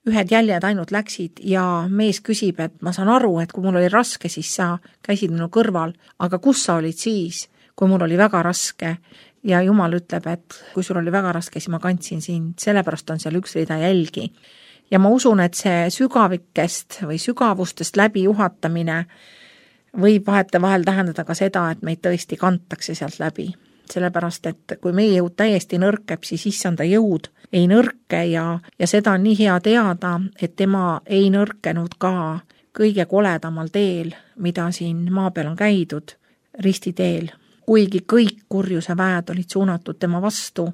Speaker 2: Ühed jäljed ainult läksid ja mees küsib, et ma saan aru, et kui mul oli raske, siis sa käisid minu kõrval, aga kus sa olid siis, kui mul oli väga raske ja Jumal ütleb, et kui sul oli väga raske, siis ma kandsin sind, sellepärast on seal üks rida jälgi. Ja ma usun, et see sügavikest või sügavustest läbi juhatamine võib vahetevahel tähendada ka seda, et meid tõesti kantakse sealt läbi. Sellepärast, et kui meie jõud täiesti nõrkeb, siis issanda jõud ei nõrke ja seda on nii hea teada, et tema ei nõrkenud ka kõige koledamal teel, mida siin maa peal on käidud, ristiteel. Kuigi kõik kurjuse väed olid suunatud tema vastu,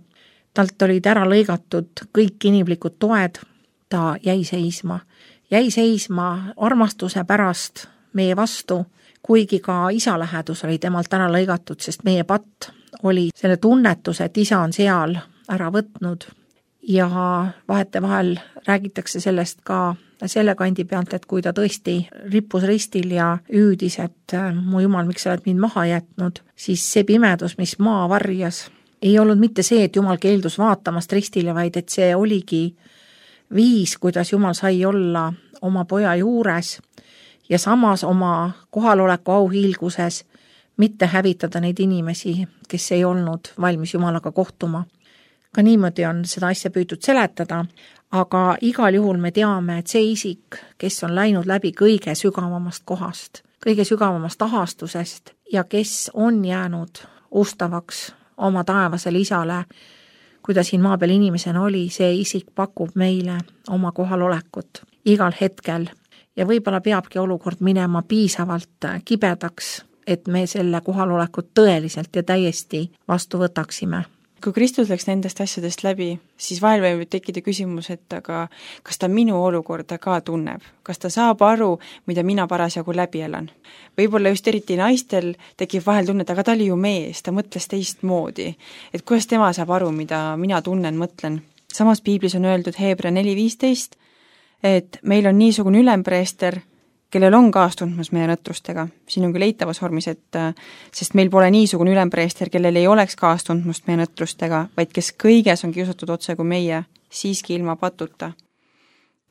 Speaker 2: talt olid ära lõigatud kõik inimlikud toed, ta jäi seisma armastuse pärast meie vastu, kuigi ka isa lähedus oli temalt ära lõigatud, sest meie patt oli selle tunnetuse, et isa on seal ära võtnud ja vahetevahel räägitakse sellest ka selle kandi pealt, et kui ta tõesti rippus ristil ja hüüdis, et mu Jumal, miks sa oled mind maha jätnud, siis see pimedus, mis maa varjas, ei olnud mitte see, et Jumal keeldus vaatamast ristile, vaid et see oligi viis, kuidas Jumal sai olla oma poja juures ja samas oma kohaloleku auhiilguses mitte hävitada neid inimesi, kes ei olnud valmis Jumalaga kohtuma. Ka niimoodi on seda asja püütud seletada, aga igal juhul me teame, et see isik, kes on läinud läbi kõige sügavamast kohast, kõige sügavamast ahastusest ja kes on jäänud ustavaks oma taevasele isale, kui ta siin maa peal inimesena oli, see isik pakub meile oma kohalolekut igal hetkel ja võib-olla peabki olukord minema piisavalt kibedaks, et me selle kohalolekut tõeliselt ja täiesti vastu võtaksime.
Speaker 3: Kui Kristus läks nendest asjadest läbi, siis vahel võib tekkida küsimus, et aga kas ta minu olukorda ka tunneb? Kas ta saab aru, mida mina parasjagu läbi elan? Võib-olla just eriti naistel tekib vahel tunne, et aga ta oli ju mees, ta mõtles teistmoodi. Et kuidas tema saab aru, mida mina tunnen, mõtlen? Samas piiblis on öeldud Hebra 4.15, et meil on niisugune ülempreester, kellel on kaastundmus meie nõtrustega. Siin on küll eitavas vormis, et sest meil pole niisugune ülempreester, kellel ei oleks kaastundmust meie nõtrustega, vaid kes kõiges on kiusatud otse kui meie, siiski ilma patuta.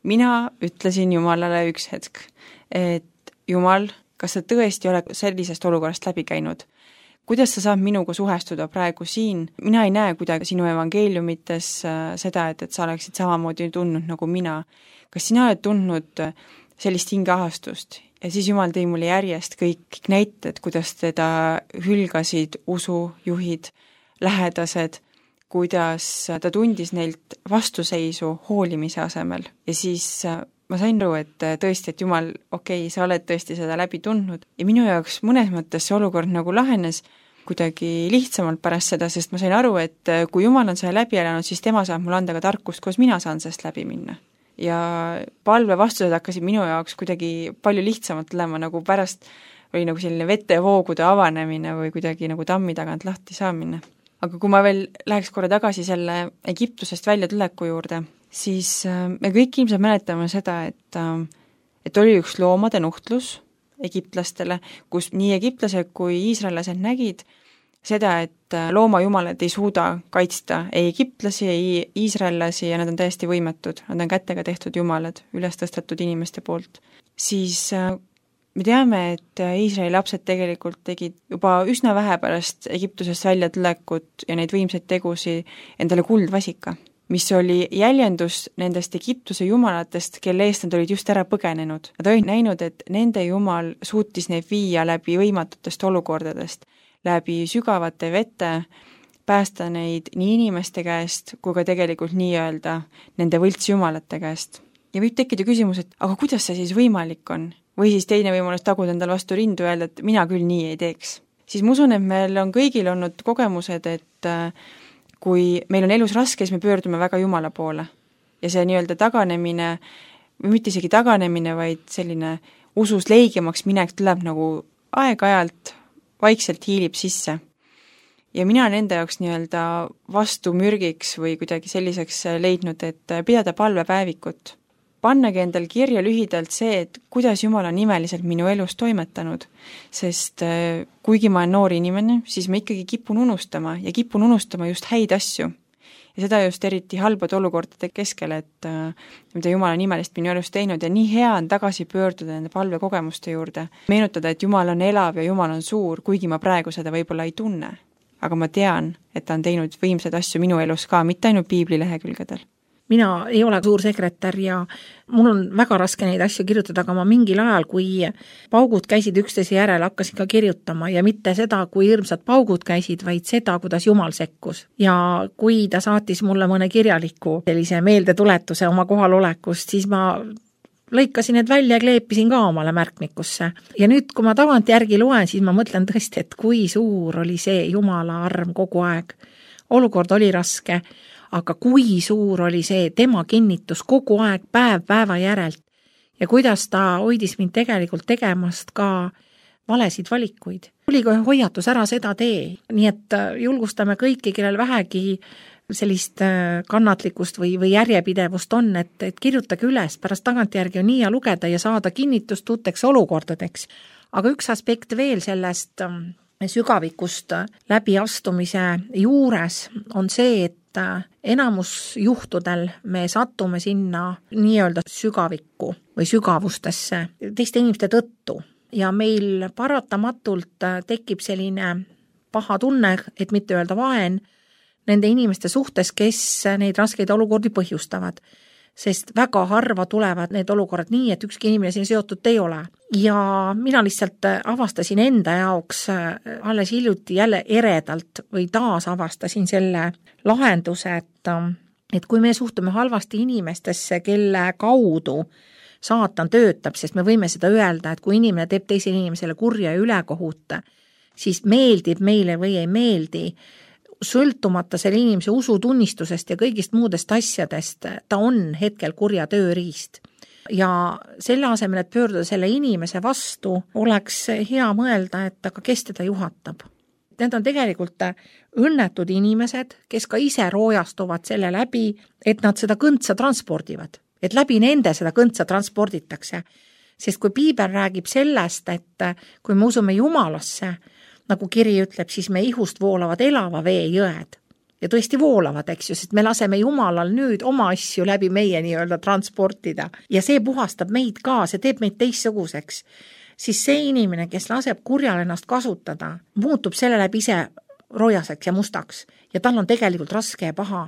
Speaker 3: Mina ütlesin Jumalale üks hetk, et Jumal, kas sa tõesti oled sellisest olukorrast läbi käinud? Kuidas sa saab minuga suhestuda praegu siin? Mina ei näe kuidagi sinu evangeeliumites seda, et sa oleksid samamoodi tundnud nagu mina. Kas sina oled tundnud sellist hingeahastust ja siis Jumal tõi mulle järjest kõik näited, kuidas teda hülgasid usujuhid, lähedased, kuidas ta tundis neilt vastuseisu hoolimise asemel ja siis ma sain aru, et tõesti, et Jumal, okei, sa oled tõesti seda läbi tundnud ja minu jaoks mõnes mõttes see olukord nagu lahenes kuidagi lihtsamalt pärast seda, sest ma sain aru, et kui Jumal on selle läbi elanud, siis tema saab mulle anda ka tarkust, kuidas mina saan sellest läbi minna. Ja palve vastused hakkasid minu jaoks kuidagi palju lihtsamalt olema, nagu pärast oli nagu selline vetevoogude avanemine või kuidagi nagu tammi tagant lahti saamine. Aga kui ma veel läheks korra tagasi selle Egiptusest välja tuleku juurde, siis me kõik ilmselt mäletame seda, et oli üks loomade nuhtlus egiptlastele, kus nii egiptlased kui iisraellased nägid seda, et loomajumalad ei suuda kaitsta ei egiptlasi, ei iisraellasi ja nad on täiesti võimetud, nad on kätega tehtud jumalad, üles tõstetud inimeste poolt. Siis me teame, et Iisraeli lapsed tegelikult tegid juba üsna vähe pärast Egiptusest välja tulekut ja neid võimsaid tegusi endale kuldvasika, mis oli jäljendus nendest Egiptuse jumalatest, kelle eest nad olid just ära põgenenud. Nad olid näinud, et nende jumal suutis neid viia läbi võimatutest olukordadest, läbi sügavate vete, päästa neid nii inimeste käest, kui ka tegelikult nii-öelda nende võltsjumalate käest. Ja võib tekkida küsimus, et aga kuidas see siis võimalik on? Või siis teine võimalus taguda endal vastu rindu ja öelda, et mina küll nii ei teeks. Siis ma usun, et meil on kõigil olnud kogemused, et kui meil on elus raske, siis me pöördume väga Jumala poole. Ja see nii-öelda taganemine, või mitte isegi taganemine, vaid selline usus leigemaks minek tuleb nagu aeg-ajalt vaikselt hiilib sisse. Ja mina nende jaoks nii-öelda vastu mürgiks või kuidagi selliseks leidnud, et pidada palvepäevikut. Pannagi endal kirja lühidalt see, et kuidas Jumal on nimeliselt minu elus toimetanud, sest kuigi ma olen noor inimene, siis ma ikkagi kipun unustama ja kipun unustama just häid asju. Ja seda just eriti halbade olukordade keskel, et mida Jumala nimelist minu elus teinud ja nii hea on tagasi pöörduda nende palvekogemuste juurde. Meenutada, et Jumal on elav ja Jumal on suur, kuigi ma praegu seda võib-olla ei tunne. Aga ma tean, et ta on teinud võimsaid asju minu elus ka, mitte ainult piiblilehekülgedel.
Speaker 2: Mina ei ole suur sekretär ja mul on väga raske neid asju kirjutada, aga ma mingil ajal, kui paugud käisid üksteise järel, hakkasin ka kirjutama ja mitte seda, kui hirmsad paugud käisid, vaid seda, kuidas Jumal sekkus. Ja kui ta saatis mulle mõne kirjaliku sellise meeldetuletuse oma kohalolekust, siis ma lõikasin need välja ja kleepisin ka omale märkmikusse. Ja nüüd, kui ma tagantjärgi loen, siis ma mõtlen tõesti, et kui suur oli see Jumala arm kogu aeg. Olukord oli raske, aga kui suur oli see tema kinnitus kogu aeg päev päeva järelt ja kuidas ta hoidis mind tegelikult tegemast ka valesid valikuid. Oli ka hoiatus ära seda tee, nii et julgustame kõiki, kellel vähegi sellist kannatlikkust või järjepidevust on, et kirjutage üles, pärast tagantjärgi on nii ja lugeda ja saada kinnitust uuteks olukordadeks. Aga üks aspekt veel sellest sügavikust läbiastumise juures on see, et enamus juhtudel me sattume sinna nii-öelda sügavikku või sügavustesse teiste inimeste tõttu ja meil paratamatult tekib selline paha tunne, et mitte öelda vaen, nende inimeste suhtes, kes neid raskeid olukordi põhjustavad. Sest väga harva tulevad need olukorrad nii, et ükski inimene siin seotud ei ole. Ja mina lihtsalt avastasin enda jaoks alles hiljuti jälle eredalt või taas avastasin selle lahenduse, et kui me suhtume halvasti inimestesse, kelle kaudu saatan töötab, sest me võime seda öelda, et kui inimene teeb teisele inimesele kurja ja ülekohut, siis meeldib meile või ei meeldi, sõltumata selle inimese usutunnistusest ja kõigist muudest asjadest, ta on hetkel kurja tööriist. Ja selle asemel, et pöörduda selle inimese vastu, oleks hea mõelda, et aga kes teda juhatab. Need on tegelikult õnnetud inimesed, kes ka ise roojastuvad selle läbi, et nad seda kõntsa transpordivad. Et läbi nende seda kõntsa transporditakse. Sest kui piibel räägib sellest, et kui me usume Jumalasse, nagu kiri ütleb, siis me ihust voolavad elava vee jõed. Ja tõesti voolavad, eks ju, sest me laseme Jumalal nüüd oma asju läbi meie nii-öelda transportida. Ja see puhastab meid ka, see teeb meid teistsuguseks. Siis see inimene, kes laseb kurjal ennast kasutada, muutub selle läbi ise rojaseks ja mustaks. Ja tal on tegelikult raske ja paha.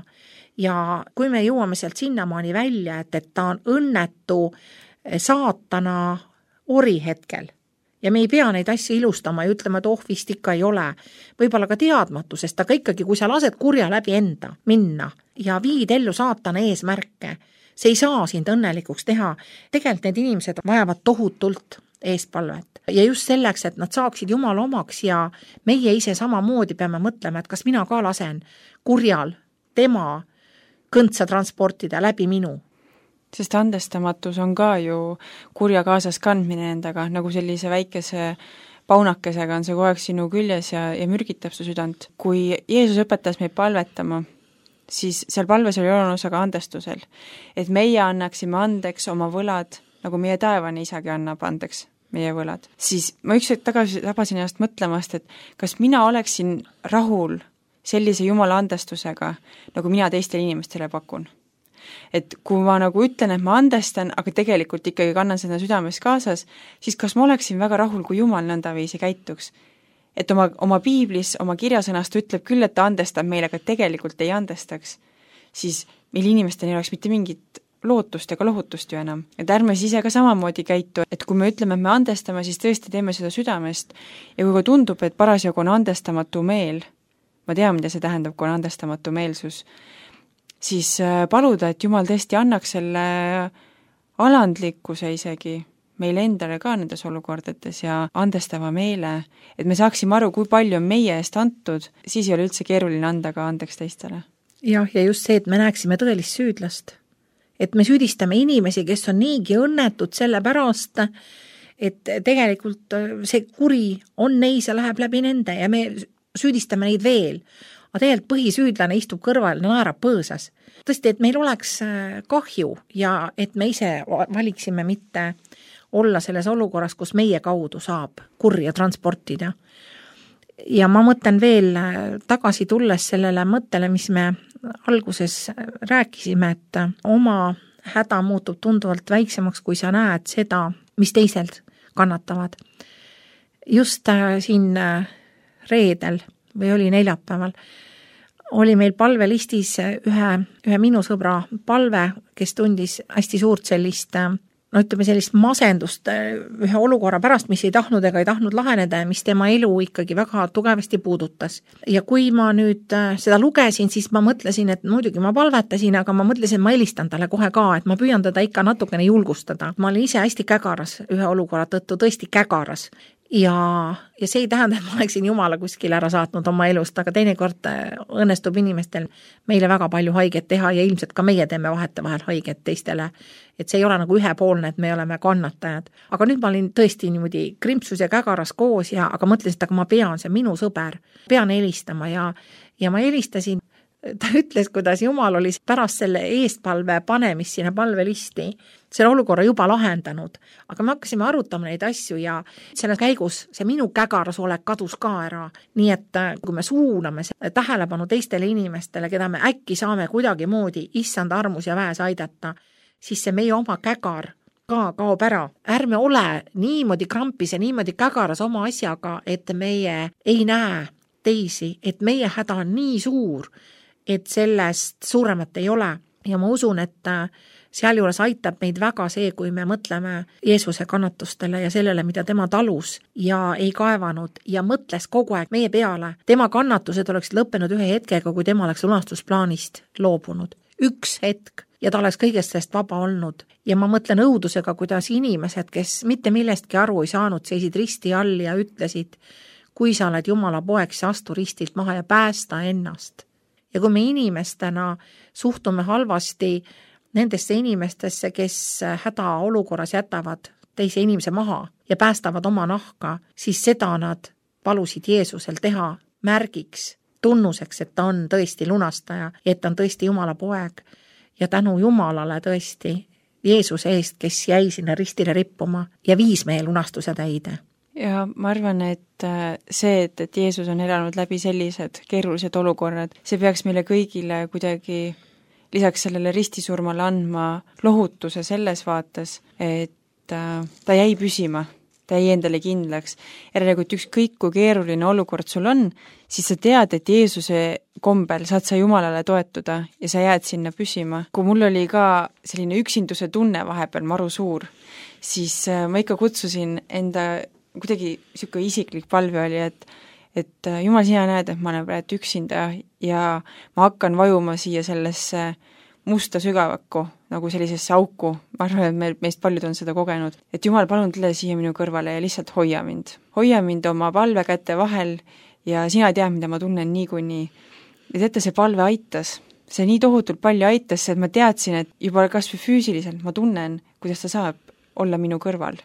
Speaker 2: Ja kui me jõuame sealt sinnamaani välja, et ta on õnnetu saatana ori hetkel, ja me ei pea neid asju ilustama ja ütlema, et vist ikka ei ole. Võib-olla ka teadmatusest, aga ikkagi, kui sa lased kurja läbi enda minna ja viid ellu saatana eesmärke, see ei saa sind õnnelikuks teha. Tegelikult need inimesed vajavad tohutult eespalvet. Ja just selleks, et nad saaksid Jumala omaks ja meie ise samamoodi peame mõtlema, et kas mina ka lasen kurjal tema kõntsa transportida läbi minu.
Speaker 3: Sest andestamatus on ka ju kurja kaasas kandmine endaga, nagu sellise väikese paunakesega on see kogu aeg sinu küljes ja mürgitab su südant. Kui Jeesus õpetas meid palvetama, siis seal palves oli oluline osa ka andestusel. Et meie annaksime andeks oma võlad, nagu meie taevane isagi annab andeks meie võlad. Siis ma üks hetk tagasi tabasin ennast mõtlemast, et kas mina oleksin rahul sellise Jumala andestusega, nagu mina teistele inimestele pakun. Et kui ma nagu ütlen, et ma andestan, aga tegelikult ikkagi kannan seda südames kaasas, siis kas ma oleksin väga rahul, kui Jumal nõndaviisi käituks. Et oma piiblis, oma kirjasõnast ütleb küll, et ta andestab meile, aga tegelikult ei andestaks, siis meil inimestel ei oleks mitte mingit lootust ega lohutust ju enam. Et ärme siis ise ka samamoodi käitu, et kui me ütleme, et me andestame, siis tõesti teeme seda südamest ja kui ka tundub, et parasjagu on andestamatu meel, ma tean, mida see tähendab, kui on andestamatu meelsus, siis paluda, et Jumal tõesti annaks selle alandlikkuse isegi meile endale ka nendes olukordades ja andestava meele, et me saaksime aru, kui palju on meie eest antud, siis ei ole üldse keeruline anda ka andeks teistele.
Speaker 2: Ja just see, et me näeksime tõelist süüdlast. Et me süüdistame inimesi, kes on niigi õnnetud selle pärast, et tegelikult see kuri on neis ja läheb läbi nende ja me süüdistame neid veel. Aga tegelikult põhisüüdlane istub kõrval ja naerab põõsas. Tõesti, et meil oleks kahju ja et me ise valiksime mitte olla selles olukorras, kus meie kaudu saab kurja transportida. Ja ma mõtlen veel tagasi tulles sellele mõttele, mis me alguses rääkisime, et oma häda muutub tunduvalt väiksemaks, kui sa näed seda, mis teised kannatavad. Just siin reedel või oli neljapäeval oli meil palvelistis ühe minu sõbra palve, kes tundis hästi suurt sellist masendust ühe olukorra pärast, mis ei tahtnud laheneda ja mis tema elu ikkagi väga tugevasti puudutas. Ja kui ma nüüd seda lugesin, siis ma mõtlesin, et muidugi ma palvetasin, aga ma mõtlesin, et ma helistan talle kohe ka, et ma püüan teda ikka natukene julgustada. Ma olin ise hästi kägaras ühe olukorra tõttu, tõesti kägaras. Ja see ei tähenda, et ma oleksin Jumala kuskil ära saatnud oma elust, aga teinekord õnnestub inimestel meile väga palju haiget teha ja ilmselt ka meie teeme vahetevahel haiget teistele. Et see ei ole nagu ühepoolne, et me oleme kannatajad. Aga nüüd ma olin tõesti niimoodi krimpsus ja kägaras koos, aga mõtlesin, et aga ma pean, see minu sõber, pean helistama ja ma helistasin. Ta ütles, kuidas Jumal oli pärast selle eestpalve panemist sinna palvelisti selle olukorra juba lahendanud, aga me hakkasime arutama neid asju ja selle käigus see minu kägaras olek kadus ka ära. Nii et kui me suuname tähelepanu teistele inimestele, keda me äkki saame kuidagi moodi issand armus ja väes aidata, siis see meie oma kägar ka kaob ära. Ärme ole niimoodi krampis ja niimoodi kägaras oma asjaga, et meie ei näe teisi, et meie häda on nii suur, et sellest suuremat ei ole. Ja ma usun, et sealjuures aitab meid väga see, kui me mõtleme Jeesuse kannatustele ja sellele, mida tema talus ja ei kaevanud ja mõtles kogu aeg meie peale. Tema kannatused oleks lõppenud ühe hetkega, kui tema oleks lunastusplaanist loobunud. Üks hetk ja ta oleks kõigest sellest vaba olnud. Ja ma mõtlen õudusega, kuidas inimesed, kes mitte millestki aru ei saanud, seisid risti all ja ütlesid, kui sa oled Jumala poeg, siis astu ristilt maha ja päästa ennast. Ja kui me inimestena suhtume halvasti nendesse inimestesse, kes hädaolukorras jätavad teise inimese maha ja päästavad oma nahka, siis seda nad palusid Jeesusel teha märgiks, tunnuseks, et ta on tõesti lunastaja, et ta on tõesti Jumala poeg ja tänu Jumalale tõesti Jeesuse eest, kes jäi sinna ristile rippuma ja viis meie lunastuse täide.
Speaker 3: Ja ma arvan, et see, et Jeesus on elanud läbi sellised keerulised olukorrad, see peaks meile kõigile kuidagi lisaks sellele ristisurmale andma lohutuse selles vaates, et ta jäi püsima, ta jäi endale kindlaks. Järelikult ükskõik kui keeruline olukord sul on, siis sa tead, et Jeesuse kombel saad sa Jumalale toetuda ja sa jääd sinna püsima. Kui mul oli ka selline üksinduse tunne vahepeal maru suur, siis ma ikka kutsusin enda kuidagi niisugune isiklik palve oli, et Jumal, sina näed, et ma olen praegu üksinda ja ma hakkan vajuma siia sellesse musta sügavakku, nagu sellisesse auku. Ma arvan, et meist paljud on seda kogenud. Et Jumal, palun tule siia minu kõrvale ja lihtsalt hoia mind. Hoia mind oma palvekäte vahel ja sina tead, mida ma tunnen niikuinii. Ja teate, see palve aitas. See nii tohutult palju aitas, et ma teadsin, et juba kas või füüsiliselt ma tunnen, kuidas ta saab olla minu kõrval.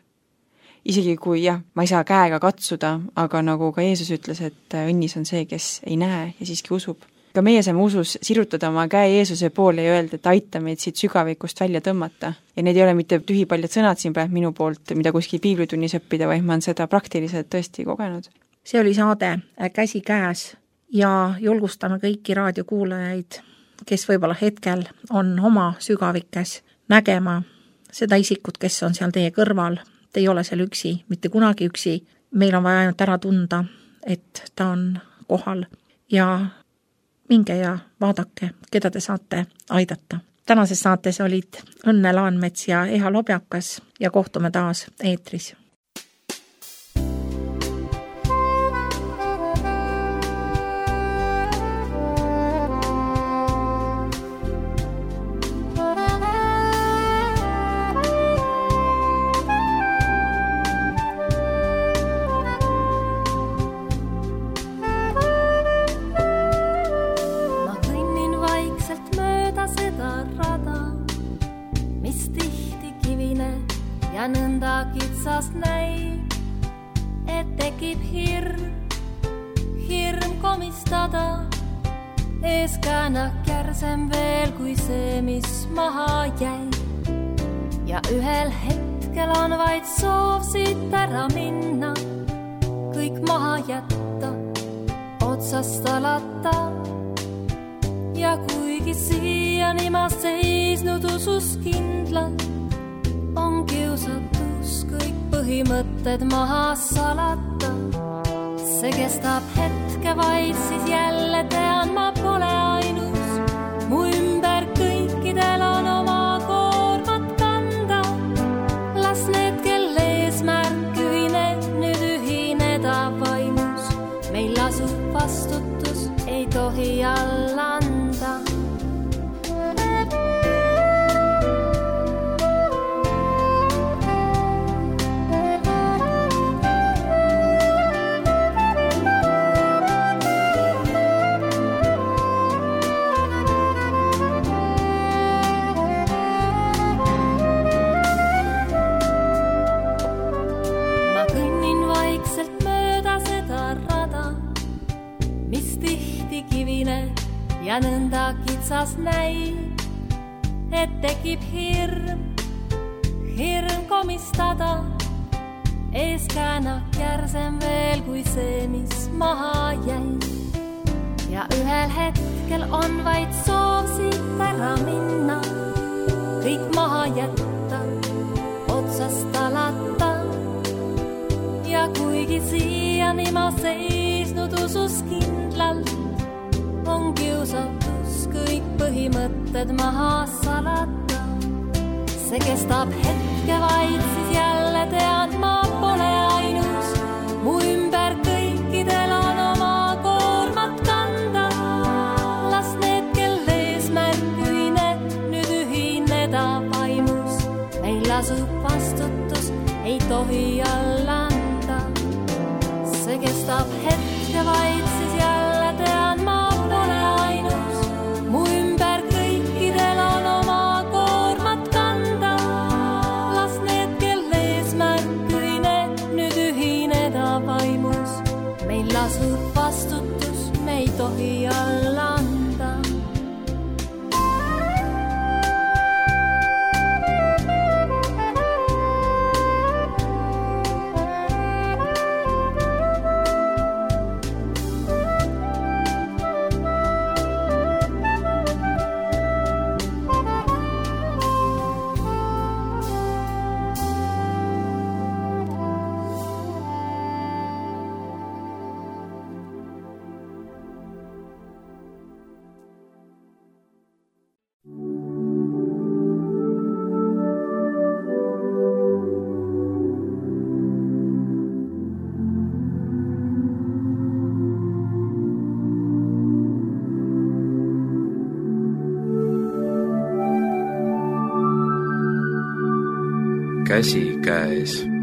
Speaker 3: Isegi kui ma ei saa käega katsuda, aga nagu ka Jeesus ütles, et õnnis on see, kes ei näe ja siiski usub. Ka meie saame usus sirutada oma käe Jeesuse poole ja öelda, et aita meid siit sügavikust välja tõmmata. Ja need ei ole mitte tühipaljad sõnad siin praegu minu poolt, mida kuskil piiblitunnis õppida, vaid ma olen seda praktiliselt tõesti kogenud.
Speaker 2: See oli saade Käsi käes ja julgustame kõiki raadiokuulajaid, kes võib-olla hetkel on oma sügavikes nägema seda isikut, kes on seal teie kõrval. Te ei ole seal üksi, mitte kunagi üksi. Meil on vaja ainult ära tunda, et ta on kohal ja minge ja vaadake, keda te saate aidata. Tänases saates olid Õnne Laanmets ja Eha Lobjakas ja kohtume taas eetris.
Speaker 1: Ja nõnda kitsas näib, et tekib hirm komistada. Eeskäänak järsem veel kui see, mis maha jäi. Ja ühel hetkel on vaid soov siit ära minna, kõik maha jätta, otsast alata. Ja kui kuigi siiani ma seisnud usus kindlalt, on kiusatus kõik põhimõtted maha salata. See kestab hetke vaid, siis jälle tean, ma pole ainus. Mu ümber kõikidel on oma koormat kanda. Las need, kel eesmärk ühine, nüüd ühineda vaimus. Meil lasub vastutus, ei tohi alla anda. Ja nõnda kitsas näib, et tekib hirm komistada. Ees käänak järsem veel kui see, mis maha jäi. Ja ühel hetkel on vaid soov siit ära minna, kõik maha jätta, otsast alata. Ja kuigi siiani ma seisnud usus kindlalt, on kiusatus kõik põhimõtted maha salata. See kestab hetke vaid, siis jälle tean, ma pole ainus. Mu ümber kõikidel on oma koormat kanda. Las need, kel eesmärk ühine, nüüd ühineda vaimus. Meil lasub vastutus, ei tohi alla anda. See kestab hetke vaid, siis jälle tean, ma pole ainus. Mu ümber kõikidel on oma koormat kanda. Las need, kel eesmärk ühine, nüüd ühineda vaimus. Meil lasub vastutus, me ei tohi alla anda.
Speaker 4: Käsi käes.